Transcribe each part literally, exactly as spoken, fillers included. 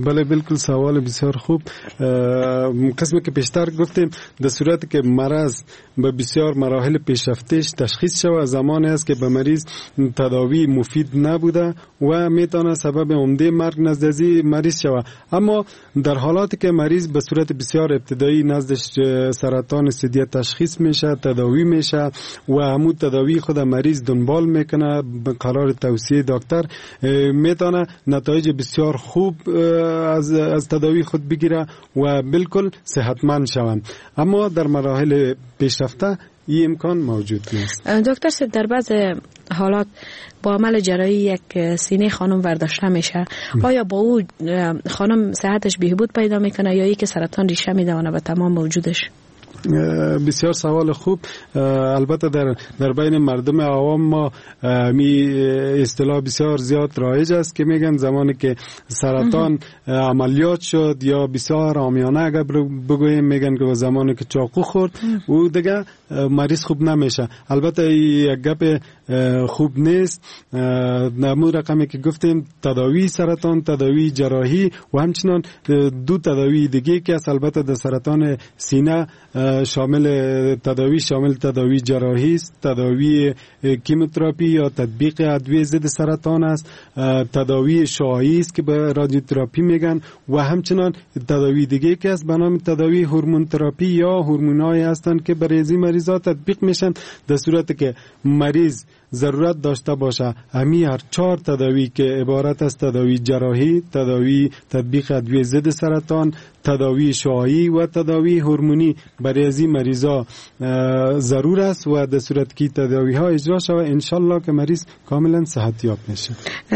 بله بالکل، سوال بسیار خوب. قسمی که پیشتر گفتیم، در صورت که مرض به بسیار مراحل پیشرفتش تشخیص شود، زمانی است که به مریض تداوی مفید نبوده و میتونه سبب عمده مرگ نزد از مریض شود. اما در حالاتی که مریض به صورت بسیار ابتدایی نزدش سرطان ثدیه تشخیص میشه، تداوی میشه و همون تداوی خود مریض دنبال میکنه به قرار توصیه دکتر، میتونه نتایج بسیار خوب از از تداوی خود بگیره و بالکل صحتمند شوند. اما در مراحل پیشرفته این امکان موجود نیست. دکتر صاحب، در بعض حالات با عمل جراحی یک سینه خانم برداشته میشه، آیا با او خانم صحتش بهبود پیدا میکنه یا که سرطان ریشه میدونه به تمام وجودش؟ بسیار سوال خوب. البته در در بین مردم عوام ما می اصطلاح بسیار زیاد رایج است که میگن زمانی که سرطان عملیات شد، یا بسیار عامیانه اگر بگوییم میگن که زمانی که چاقو خورد او دیگه مریض خوب نمیشه. البته یک گپ خوب نیست. نمو رقمی که گفتیم، تداوی سرطان، تداوی جراحی و همچنان دو تداوی دیگه که است، البته در سرطان سینه شامل تداوی شامل تداوی جراحی است، تداوی کیموتراپی یا تطبیق ادویه ضد سرطان است، تداوی شعاعی است که به رادیوتراپی میگن و همچنان تداوی دیگه که است به نام تداوی هورمون تراپی یا هورمون‌هایی هستند که برای این مریضا تطبیق میشن. در صورت که مریض ضرورت داشته باشه، همی هر چهار تداوی که عبارت از تداوی جراحی، تداوی تطبیق ادویه ضد سرطان، تداوی شعاعی و تداوی هورمونی برای از این مریضا ضرور است و در صورت که تداوی ها اجرا شود، انشالله که مریض کاملا صحت یاب میشه.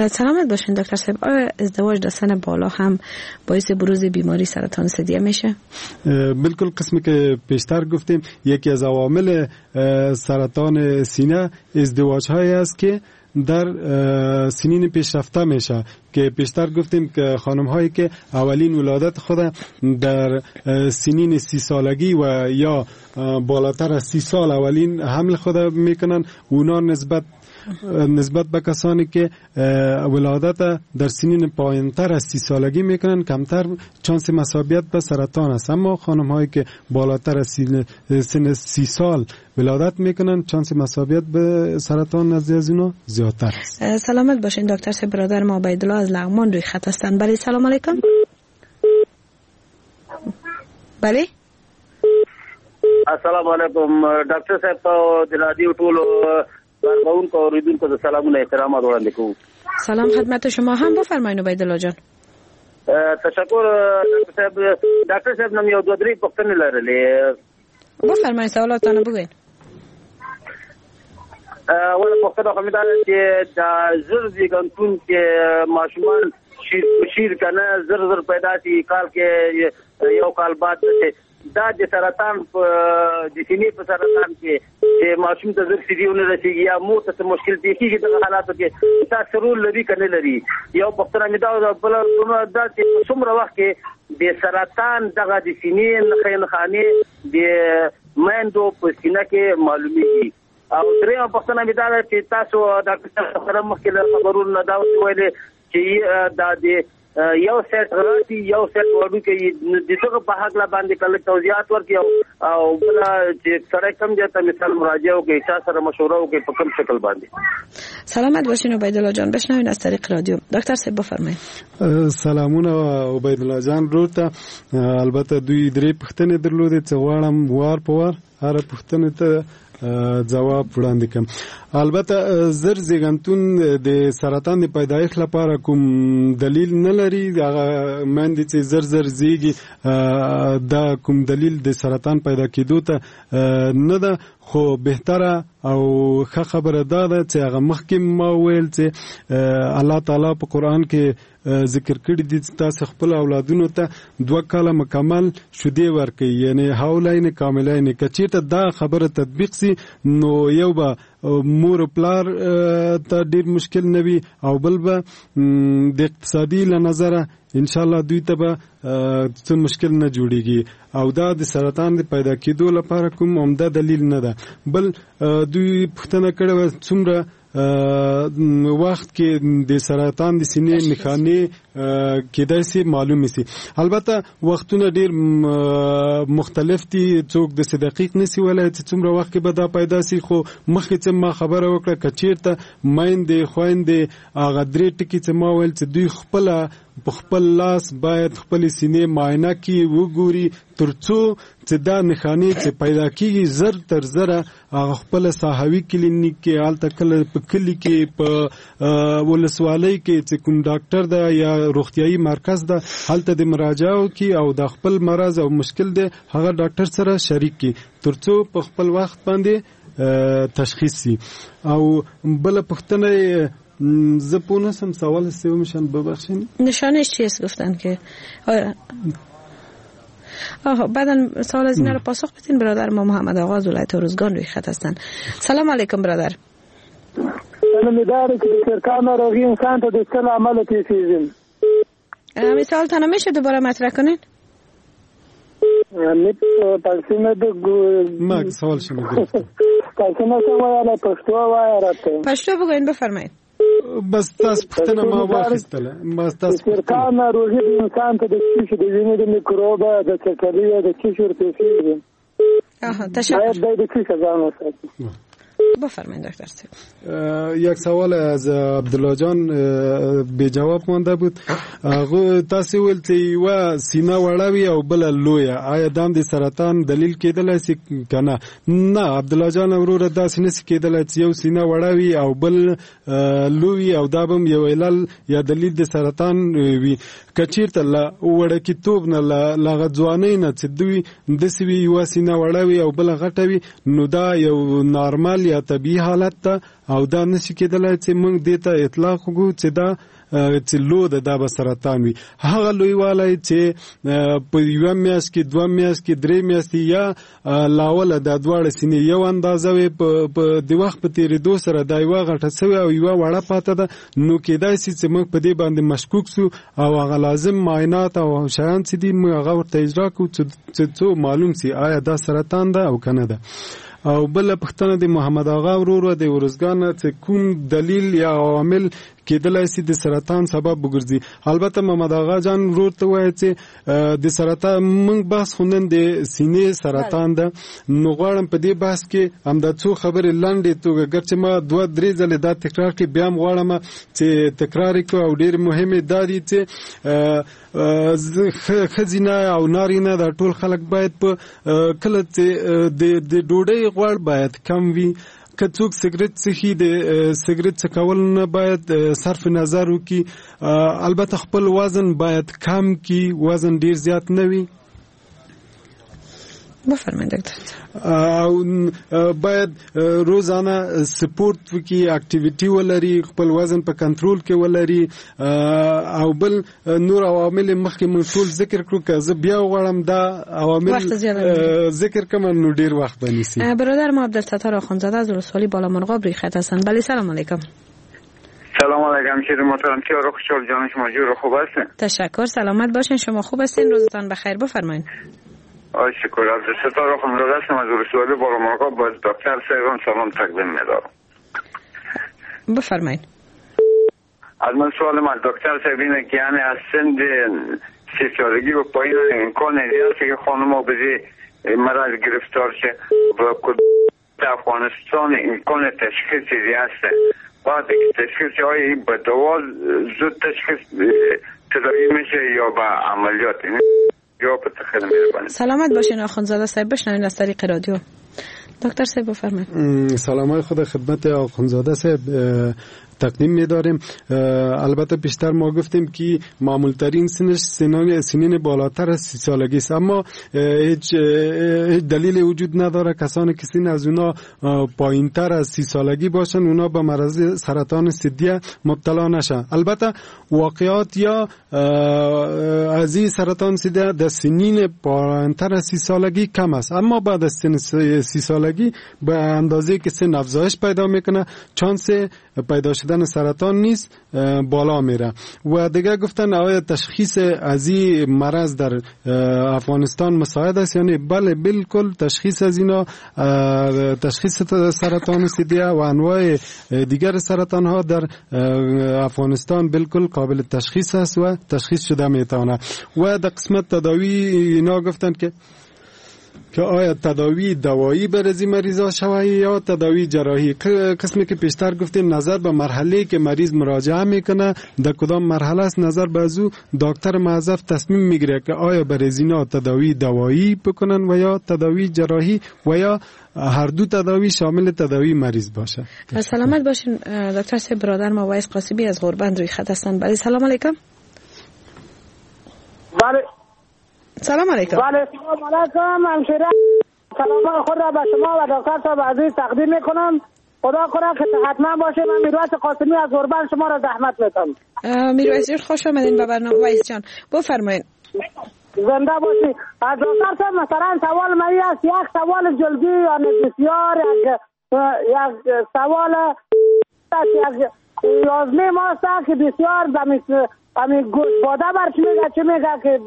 سلامت باشین دکتر صاحب. آیا ازدواج در سن بالا هم باعث بروز بیماری سرطان ثدیه میشه؟ بالکل، قسمی که پیشتر گفتیم، یکی از عوامل سرطان سینه ازدواج های است که در سنین پیشرفته میشه که پیشتر گفتیم که خانم هایی که اولین ولادت خود در سنین سی سالگی و یا بالاتر از سی سال اولین حمل خود میکنن، اونا نسبت نسبت به کسانی که ولادت در سنین پایینتر از سی سالگی میکنن کمتر چانس مصابیت به سرطان است. اما خانم هایی که بالاتر از سن سی سال ولادت میکنن، چانس مصابیت به سرطان نزد از اینا زیادتر است. سلامت باشین دکتر صاحب. برادر ما عبیدالله از لغمان روی خط هستند. بله، سلام علیکم. بله، السلام علیکم ډاکټر صاحب ته، د رادیو ټولو کارکوونکو او اورېدونکو ته سلامونه احترامات وړاندې کوم. سلام خدمت شما هم، بفرمایید عبیدالله جان. تشکر ډاکټر صاحب. ډاکټر صاحب نم یو دوه درې پوښتنې لرلې. بفرمایید، سوالاتتان بگوین. اوله پوښتنه خو مې دا ده چې دا زر زیږنتون کې ماشومان شیر شیر که نه زر زر پیدا شي، کال کې یو کال بعد، دا د سرطان په د سینې په سرطان کې چې ماشوم ته زر شیدې ونه رسېږي یا مور ته څه مشکل پېښېږي، دغه حالاتو کې دا څه رول لري که نه لري؟ یو پوښتنه مې دا ده. بله دا چې په څومره وخت کې د سرطان دغه د سینې نښې نښانې د میندو په سینه کې معلومیږي؟ او درېیمه پوښتنه مې دا ده چې تاسو ډاکټر صاحب سره مخکې له خبرونو نه دا ویلې چې دا د یو سیټ غټي یو سیټ وړوکی، د دغه په هکله باندې کله توضیحات ورکړي او بله چې سړی کوم ځای ته مثال مراجعه وکړي، چا سره مشوره وکړي، په کوم شکل باندې؟ سلامت باشین عبیدالله جان. بشنوین از طریق رادیو. دکتر صاحب بفرمایید. سلامونه عبیدالله جان ورور ته. البته دوی درې پوښتنې درلودې چې غواړم وار په وار هره پوښتنې ته ځواب وړاندې کړم. البته زر زیږنتون د سرطان د پیدایښت لپاره کوم دلیل نه لري. هغه میندې چې زر زر زیږي، دا کوم دلیل د سرطان پیدا کېدو ته نه ده. خو بهتره او ښه خبره دا ده چې هغه مخکې ما وویل چې الله تعالی په قرآن کې ذکر کړي دي چې تاسو خپل اولادونو ته دوه کاله مکمل شیدې ورکړئ، یعنی حولین کاملین. که چېرته دا خبره تطبیق سي، نو یو به مور او پلار ته ډیر مشکل نه وي او بل به د اقتصادي له نظره انشاءالله دوی ته به څه مشکل نه جوړیږي او دا د سرطان د پیدا کېدو لپاره کوم عمده دلیل نه ده. بل دوی پوښتنه کړې وه څومره وخت کې د سرطان د سینې نښانې کېدای شي معلومې شي. البته وختونه ډیر مختلف دي، څوک داسې دقیق نشي ویلی چې څومره وخت کې به دا پیدا شي، خو مخکې چې ما خبره وکړه که چیرته میندې خویندې هغه درې ټکي چې ما ویل چې دوی خپله په خپل لاس باید خپلې سینې معاینه کړي، وګوري ترڅو چې دا نښانې چې پیدا کیږي زر تر زره هغه خپله ساحوي کلینیک کې، هلته کله په کلي کې، په ولسوالۍ کې چې کوم ډاکټر ده یا روغتیایي مرکز ده هلته د مراجعه وکړي او د خپل مرض او مشکل دی هغه ډاکټر سره شریک کړي ترڅو په خپل وخت باندې تشخیص شي. او بله پوښتنه زه پوه نه شم سوال سومشان ببخشین. نشانش چیست گفتن که آها بعدا سوال از اینا رو پاسخ بدین. برادر ما محمد آقا از ولایت هرمزگان روی خط هستن. سلام علیکم برادر. سلام داره که د سرطان ناروغي انسان ته د څه له امله پېښېږي؟ مثال تانه میشه دوباره مطرح کنین؟ ما سوال شما گرفتم. پښتو بگوین بفرمایید. بس تاسو پوښتنه ما واخیستله. بس تاسو سرطان ناروغي د انسان ته د څه شي د وینې د میکروب د چټلۍ د څه شي ورپېښېږي؟ آها تشکر. باید د څه ځان وساتي. بفرمایید دکتر صاحب. یک سوال از عبدالله جان بی جواب مانده بود. هغه تاسو ویل چې یوه سینه وړه وي او بله لویه، آیا دا هم د سرطان دلیل کېدلی شي که نه؟ نه عبدالله جان وروره، داسې نه شي کېدلی چې یو سینه وړه وي او بل لوی او دا به هم یو علل یا دلیل د سرطان وي. که چیرته له وړکیتوب نه له هغه ځوانۍ نه چې دوی داسې وي یوه سینه وړه وي او بله غټه وي، نو دا یو نارمل یا طبیعي حالت ده او دا نشي کېدلی چې موږ دې ته اطلاق وکړو چې دا چې لو ده دا به سرطان وي. هغه لویوالی چې په یوه میاشت کې، دوه میاشت کې، درې میاشتې یا لاوله دا دواړه سینې یو اندازه وي، په د وخت په تېرېدو سره دا یوه غټه سوې او یوه وړه پاته ده، نو کېدای شي چې موږ په دې باندې مشکوک سو او هغه لازم معاینات او شیان چې دي موږ هغه ورته اجرا کړو چې څو معلوم سي آیا دا سرطان ده او که نه ده. او بله پوښتنه د محمد آغا ورور د ارزګان چې کوم دلیل یا عوامل کېدلای شي د سرطان سبب وګرځي. البته محمد آغا جان ورور ته وایي چې د سرطان موږ بحث خو نن د سینې سرطان ده، نو غواړم په دې بحث کې همدا څو خبرې لنډې توګه، ګرچې ما دوه درې ځلې دا تکرار کړې، بیا هم غواړم چې تکرار یې کړو او ډېر مهمې دا دي چې ښځینه او نارینه دا ټول خلک باید په کله چې د ډوډۍ غوړ باید کم وي، که څوک سګرټ څښي د سګرټ څکول نه باید صرف نظر وکړي، البته خپل وزن باید کم کړي، وزن ډیر زیات نه وي. بفرمایید دکتر. او باید روزانه سپورت وکړي، activity ولري، خپل وزن په کنټرول کې ولري. او بل نور عوامل مخکې موږ ټول ذکر کړو، که زه بیا وغواړم دا عوامل ذکر کړم نو ډیر وخت به نیسي. برادر ما عبدالستار آخوندزاده از ولسوالی بالامرغاب روی خط هستند. بله سلام علیکم. سلام علیکم شیر محترم، چه خوشحال جان شما جور خوب هستین؟ تشکر، سلامت باشین. شما خوب هستین؟ روزتان بخیر. بفرمایید. شکر. عبدالستار آخوندزاده هستم از ولسوالی بالامرغاب. باز دکتر صاحبم سلام تقدیم می‌دارم. بفرمایید. از من سوالم از دکتر صاحب اینه که یعنی از سن سی سالگی به پایین امکان هست که خانم‌ها به مرض گرفتار شه و افغانستان امکان تشخیص هست؟ بعد تشخیص های به دوا زود تشخیص تداوی میشه یا با عملیات؟ سلامت باشین آخوندزاده صاحب. بشنوین از طریق رادیو. دکتر صاحب بفرمایید. سلام های خود خدمت آخوندزاده صاحب تقدیم می‌داریم. البته پیشتر ما گفتیم که معمولترین سنش سنین سنین بالاتر از سی سالگی است، اما هیچ هیچ دلیل وجود نداره کسانی که سن از اونا پایینتر از سی سالگی باشن اونا به مرض سرطان ثدیه مبتلا نشن. البته واقعات یا از این سرطان ثدیه در سنین پایینتر از سی سالگی کم است، اما بعد از سن سی سالگی به اندازه که سن افزایش پیدا میکنه چانس پیدا شدن شدن سرطان نیست بالا میره. و دیگه گفتن آیا تشخیص از این مرض در افغانستان مساعد است؟ یعنی بله، بالکل تشخیص از اینا، تشخیص سرطان ثدیه و انواع دیگر سرطان ها در افغانستان بالکل قابل تشخیص است و تشخیص شده میتونه. و در قسمت تداوی اینا گفتن که که آیا تداوی دوایی بر از این مریضا شوه یا تداوی جراحی. قسمی که پیشتر گفتیم نظر به مرحله که مریض مراجعه میکنه در کدام مرحله است، نظر به از او دکتر موظف تصمیم میگیره که آیا بر از اینا تداوی دوایی بکنن و یا تداوی جراحی و یا هر دو تداوی شامل تداوی مریض باشه. سلامت باشین دکتر صاحب. برادر ما وایس قاسمی از غربند روی خط هستند. بله، سلام علیکم. بله، سلام علیکم. بله، سلام علیکم. همشیره سلام خود را به شما و دکتر صاحب عزیز تقدیم میکنم. خدا کنه که صحتمند باشه. من میرویس قاسمی از غربند شما را زحمت میتم. میرویس جان خوش آمدین به برنامه. وایس جان بفرمایید. زنده باشی. از دکتر صاحب مثلا سوال من است، یک سوال جلدی یعنی بسیار یک یک سوال یک یازده ماه که بسیار همین گوش باده برش میگه چه میگه که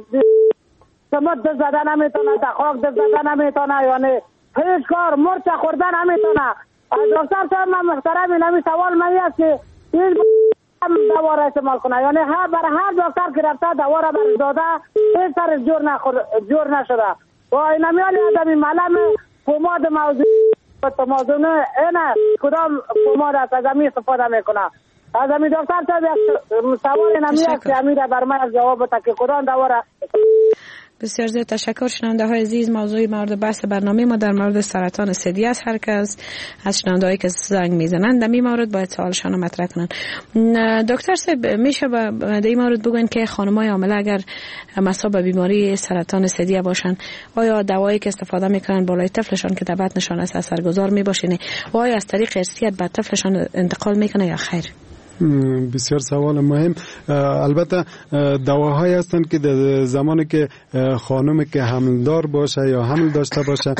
سمت دست زده نمیتونه، در خاک دست زده نمیتونه، یعنی هیچ کار مرچ خوردن نمیتونه. از دکتر صاحب من محترم این سوال من است که این دوا را استعمال کنه، یعنی هر بر هر دکتر که رفته دوا را برش داده هیچ سرش جور نخور جور نشده و این همیال آدمی معلم پوماد موضوع تمازونه اینه کدام پوماد است از همی استفاده میکنه. از همی دکتر صاحب سوال این همی است که همی را بر من جواب بده که کدام دوا را. بسیار زیاد تشکر. شنونده های عزیز، موضوع مورد بحث برنامه ما در مورد سرطان ثدی است. هر کس از شنونده هایی که زنگ میزنند در این مورد باید سوالشان رو مطرح کنند. دکتر صاحب میشه در این مورد بگوین که خانم‌های حامله اگر مصاب به بیماری سرطان ثدی باشند، آیا دوایی که استفاده میکنن بالای طفلشان که در بطنشان است اثرگذار میباشه و آیا از طریق ارثیت به طفلشان انتقال میکنه یا خیر؟ بسیار سوال مهم. البته دواهایی هستند که در زمانی که خانم که حملدار باشه یا حمل داشته باشه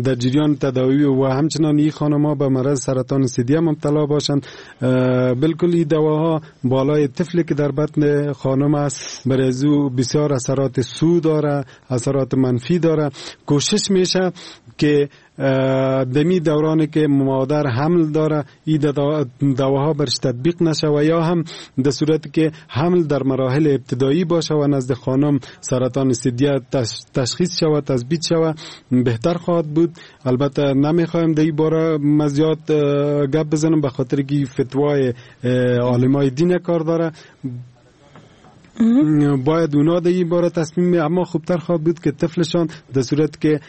در جریان تداوی و همچنان این خانم ها به مرض سرطان ثدی مبتلا باشند، بالکل این دواها بالای طفلی که در بطن خانم است برای او بسیار اثرات سو داره، اثرات منفی داره. کوشش میشه که دمی دورانی که مادر حمل داره این دواها برش تطبیق نشه و یا هم در صورت که حمل در مراحل ابتدایی باشه و نزد خانم سرطان ثدی تشخیص شود، تثبیت شود، بهتر خواهد بود. البته نمیخوایم در این باره زیاد گپ بزنم به خاطر که فتوای عالمای دین کار داره، باید اونا در این باره تصمیم، اما خوبتر خواهد بود که طفلشان در صورت که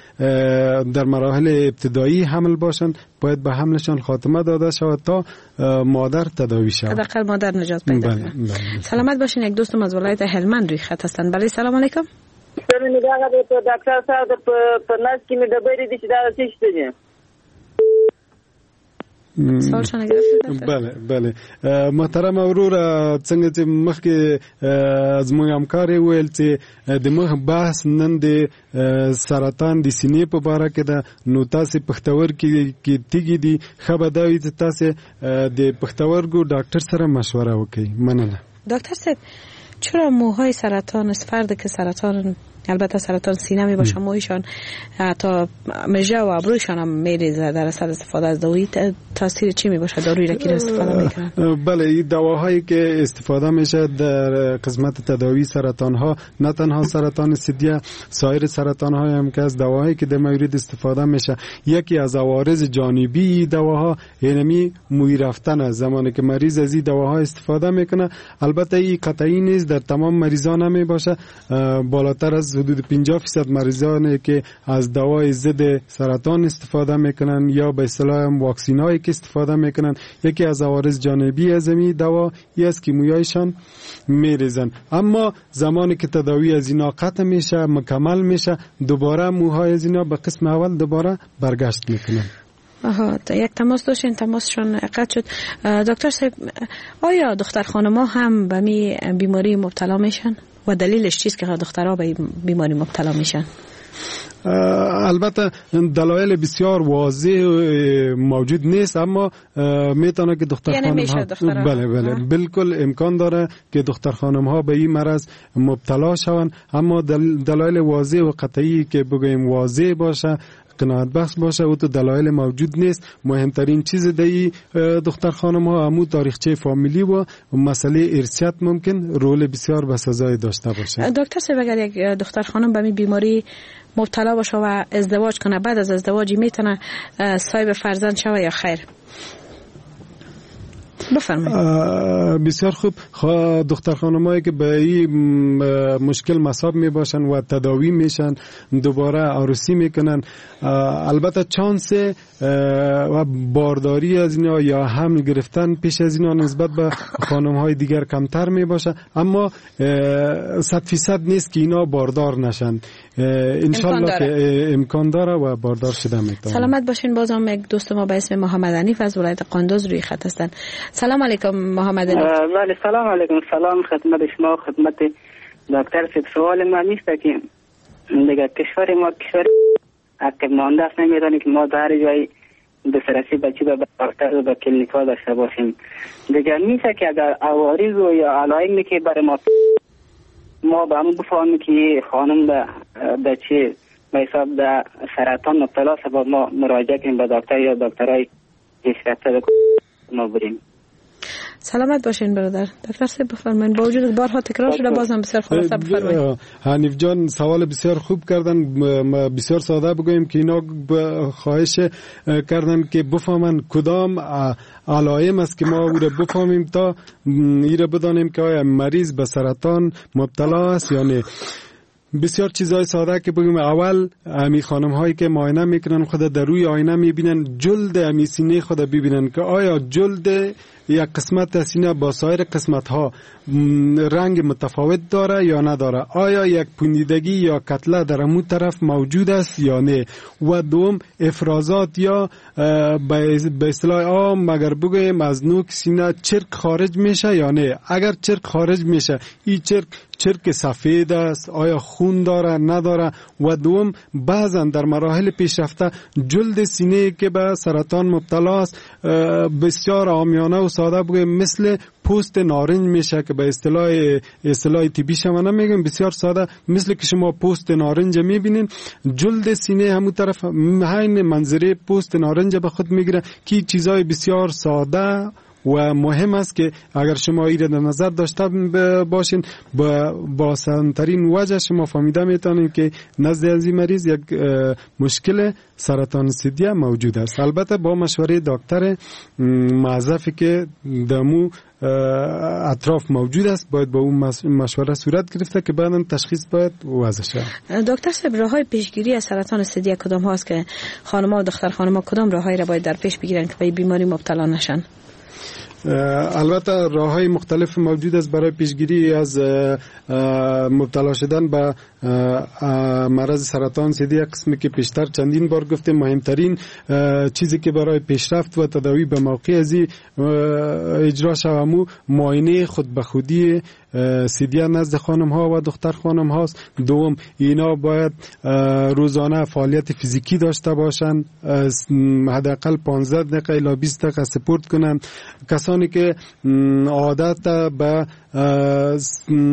در مراحل ابتدایی حمل باشند باید به حملشان خاتمه داده شود تا مادر تداوی شود، حداقل مادر نجات پیدا کنه. بله. سلامت باشین. یک دوستم از ولایت هلمند روی خط هستند. بله، سلام علیکم. دکتر صاحب په نس کې مې ډبرې دي چې دا څه شی دي؟ بله بله محترم ورور، څنګه چې مخکې زموږ همکار ویل چې د مخ بحث نن د سرطان د سینې په باره کې ده، نو تاسې پښتورګي کې تیږې دي، ښه به دا وي چې تاسې د پښتورګو ډاکټر سره مشوره وکړئ. مننه. دکتر صاحب، چرا موهای سرطان از فرد که سرطان، البته سرطان سینه می باشه، موهایشان تا مژه و ابرویشان هم میریزه در اثر استفاده از داروی، تاثیر چی می باشه دارویی را که استفاده میکنن؟ بله، این دواهایی که استفاده میشه در قسمت تداوی سرطان ها، نه تنها سرطان ثدی، سایر سرطان های هم که از دواهایی که در مورد استفاده میشه، یکی از عوارض جانبی دواها یعنی موی رفتن است. زمانی که مریض از این دواها استفاده میکنه، البته این قطعی نیست، در تمام مریضان نمی باشه، بالاتر از حدود پنجاه درصد مریضانی که از دوای ضد سرطان استفاده میکنن یا به اصطلاح واکسین هایی که استفاده میکنن، یکی از عوارض جانبی از این دوا ای است که مویایشان میریزن. اما زمانی که تداوی از اینا قطع میشه، مکمل میشه، دوباره موهای از اینا به قسم اول دوباره برگشت میکنن. آها، یک تماس داشتین، تماسشون قطع شد. دکتر صاحب، آیا دختر خانم‌ها هم به می بیماری مبتلا میشن و دلیلش چیست که دخترها به بیماری مبتلا میشن؟ البته دلایل بسیار واضح موجود نیست، اما میتونه که دختر خانم ها بله بله بالکل امکان داره که دختر خانم ها به این مرض مبتلا شوند، اما دلایل واضح و قطعی که بگوییم واضح باشه، قناعت بخش باشه، و تو دلایل موجود نیست. مهمترین چیز دی دختر خانم ها امو تاریخچه فامیلی و مسئله ارثیت ممکن رول بسیار بسزایی داشته باشه. دکتر صاحب، اگر یک دختر خانم به بیماری مبتلا باشه و ازدواج کنه، بعد از ازدواج میتونه صاحب فرزند شوه یا خیر؟ بفرمایید. بسیار خوب. دختر خانمایی که به این مشکل مصاب می باشن و تداوی میشن، دوباره عروسی میکنن، البته چانس و بارداری از اینا یا حمل گرفتن پیش از اینا نسبت به خانم های دیگر کمتر می باشه، اما صد فیصد نیست که اینا باردار نشن. انشالله که امکان داره و باردار شده میتونه. سلامت باشین. بازم یک دوست ما به اسم محمد حنیف از ولایت قندوز روی خط هستن. سلام علیکم محمد حنیف. بله سلام علیکم. سلام خدمت شما، خدمت دکتر صاحب. سوال من نیست که دیگه کشور ما کشور عقب مانده است، نمیدونیم که ما در جای دسترسی به چی به دکتر و به کلینیک ها داشته باشیم. دیگه میشه که اگر عوارض و یا علائمی که برای ما ما به همون بفهمیم که خانم به به چی به حساب به سرطان مبتلا است، با ما مراجعه کنیم به دکتر یا دکترای پیشرفته ما بریم. سلامت باشین برادر. دکتر صاحب بفرمایید. با وجود بارها تکرار شده بازم بسیار خلاصه بفرمایید. حنیف جان سوال بسیار خوب کردن. بسیار ساده بگوییم که اینا خواهش کردن که بفهمن کدام علائم است که ما او را بفهمیم تا ای را بدانیم که آیا مریض به سرطان مبتلا است یا نه. بسیار چیزهای ساده که بگیم، اول امی خانم هایی که معاینه میکنن خود در روی آینه میبینن، جلد امی سینه خود ببینن که آیا جلد یک قسمت سینه با سایر قسمت ها رنگ متفاوت داره یا نداره، آیا یک پوندیدگی یا کتله در امو طرف موجود است یا نه. و دوم افرازات یا به اصطلاح عام مگر بگوییم از نوک سینه چرک خارج میشه یا نه. اگر چرک خارج میشه، این چرک چرک سفید است، آیا خون داره نداره. و دوم بعضا در مراحل پیشرفته جلد سینه که به سرطان مبتلا است بسیار عامیانه و ساده بگویم مثل پوست نارنج میشه که به اصطلاح اصطلاح طبی شما نمیگم، بسیار ساده مثل که شما پوست نارنج میبینین، جلد سینه همون طرف همین منظره پوست نارنج به خود میگیره که چیزای بسیار ساده و مهم است که اگر شما این را در نظر داشته باشین با آسان‌ترین وجه شما فهمیده میتونید که نزد از این مریض یک مشکل سرطان ثدیه موجود است. البته با مشوره دکتر معذفی که دمو اطراف موجود است باید با اون مشوره صورت گرفته که بعداً تشخیص باید وضع شود. دکتر صاحب، راه‌های پیشگیری از سرطان ثدیه کدام هاست که خانم‌ها و دختر خانم‌ها کدام راه‌هایی را باید در پیش بگیرن که به بیماری مبتلا نشن؟ البته راه های مختلف موجود است برای پیشگیری از مبتلا شدن به مرض سرطان ثدی. قسمی که پیشتر چندین بار گفتیم، مهمترین چیزی که برای پیشرفت و تداوی به موقع از اجرا شومو معاینه خود به خودی ثدیه نزد خانم ها و دختر خانم هاست. دوم اینا باید روزانه فعالیت فیزیکی داشته باشند، حداقل پانزده دقیقه الی بیست دقیقه سپورت کنند. کسانی که عادت به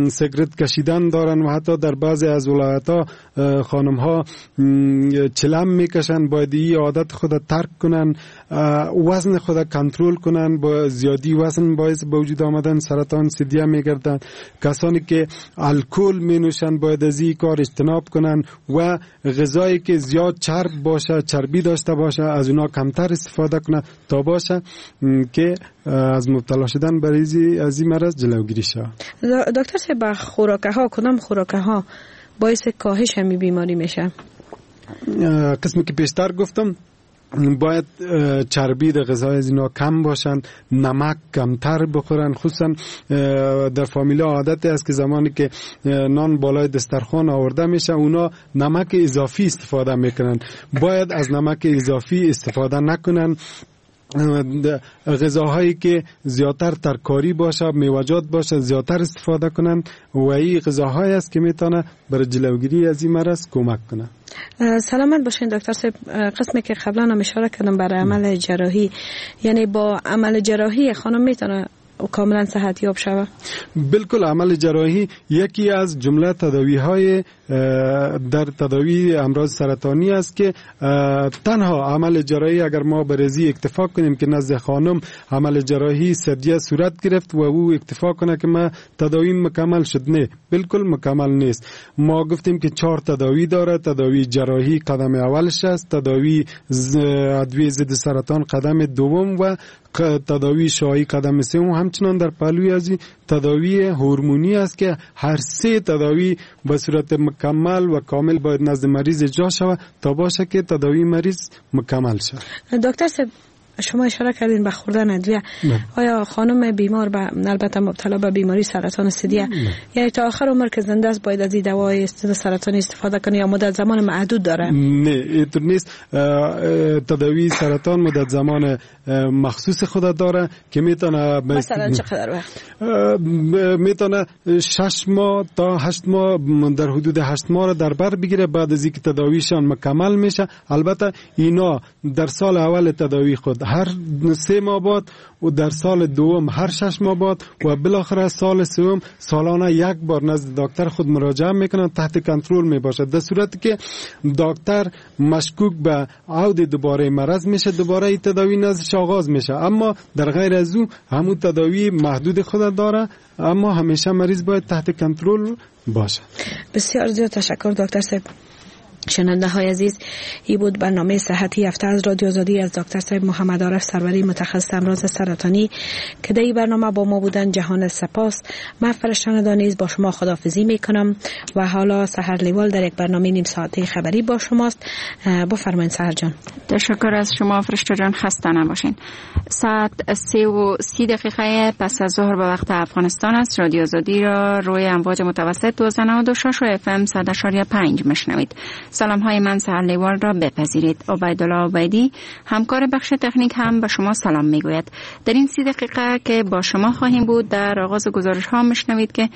سیگرت کشیدن دارن و حتی در بعضی از ولایت ها خانم ها چلم میکشن، باید این عادت خود ترک کنن، وزن خود کنترل کنن. با زیادی وزن باعث به وجود آمدن سرطان ثدیه میگردن. کسانی که الکل می نوشن باید از این کار اجتناب کنن و غذایی که زیاد چرب باشه، چربی داشته باشه، از اونا کمتر استفاده کنن تا باشه که از مبتلا شدن برای از این مرض جلوگیری شود. دکتر صاحب، خوراکه ها کدام خوراکه ها باعث کاهش همین بیماری میشه؟ قسمی که پیشتر گفتم باید چربی در غذای از اینا کم باشن، نمک کمتر بخورن. خصوصا در فامیلا عادت است که زمانی که نان بالای دسترخوان آورده میشه اونا نمک اضافی استفاده میکنن. باید از نمک اضافی استفاده نکنن. غذاهایی که زیادتر ترکاری باشه، میوه‌جات باشه، زیادتر استفاده کنند و این غذاهایی است که میتونه برای جلوگیری از این مرض کمک کنه. سلامت باشین دکتر صاحب. قسمی که قبلا هم اشاره کردم برای عمل جراحی، یعنی با عمل جراحی خانم میتونه کاملا صحت یاب شود؟ بالکل، عمل جراحی یکی از جمله تداوی های در تداوی امراض سرطانی است که تنها عمل جراحی اگر ما برزی اکتفا کنیم که نزد خانم عمل جراحی سدیه صورت گرفت و او اکتفا کنه که ما تداوی مکمل شد، نه، بالکل مکمل نیست. ما گفتیم که چهار تداوی داره. تداوی جراحی قدم اولش است، تداوی ادویه ضد سرطان قدم دوم و تداوی شعاعی قدم سوم. همچنان در پهلوی از تداوی هورمونی است که هر سه تداوی به صورت مکمل و کامل باید نزد مریض اجرا شود تا باشه که تداوی مریض مکمل شود. دکتر صاحب، شما اشاره کردین به خوردن ادویه. آیا خانم بیمار به البته مبتلا به بیماری سرطان ثدیه یعنی تا آخر عمر که زنده است باید از این دوای سرطانی استفاده کنه یا مدت زمان محدود داره؟ نه، اینطور نیست. تداوی سرطان مدت زمان مخصوص خود داره که میتونه مثلا چقدر وقت؟ میتونه شش ماه تا هشت ماه، در حدود هشت ماه را در بر بگیره بعد از اینکه تداویشان مکمل میشه. البته اینا در سال اول تداوی خود هر سه ماه بعد و در سال دوم هر شش ماه بعد و بالاخره سال سوم سالانه یک بار نزد دکتر خود مراجعه میکنن، تحت کنترل میباشد. در صورتی که دکتر مشکوک به عود دوباره مرض میشه، دوباره این تداوی نزدش آغاز میشه، اما در غیر از او همون تداوی محدود خود داره، اما همیشه مریض باید تحت کنترل باشه. بسیار زیاد تشکر دکتر صاحب. شنونده های عزیز، ای بود برنامه صحتی هفته از رادیو آزادی از دکتر صاحب محمد عارف سروری، متخصص امراض سرطانی که در این برنامه با ما بودن. جهان سپاس. من فرشته دانیز با شما خداحافظی میکنم و حالا سحر لیوال در یک برنامه نیم ساعته خبری با شماست. بفرمایید سحر جان. تشکر از شما فرشته جان، خسته نباشین. ساعت سه و سی دقیقه پس از ظهر به وقت افغانستان است. رادیو آزادی را روی امواج متوسط دوازده نود و شش و اف ام صد و پنج میشنوید. سلام های من سحر لیوال را بپذیرید. عبیدالله عبیدی همکار بخش تکنیک هم به شما سلام میگوید. در این سی دقیقه که با شما خواهیم بود، در آغاز گزارش ها میشنوید که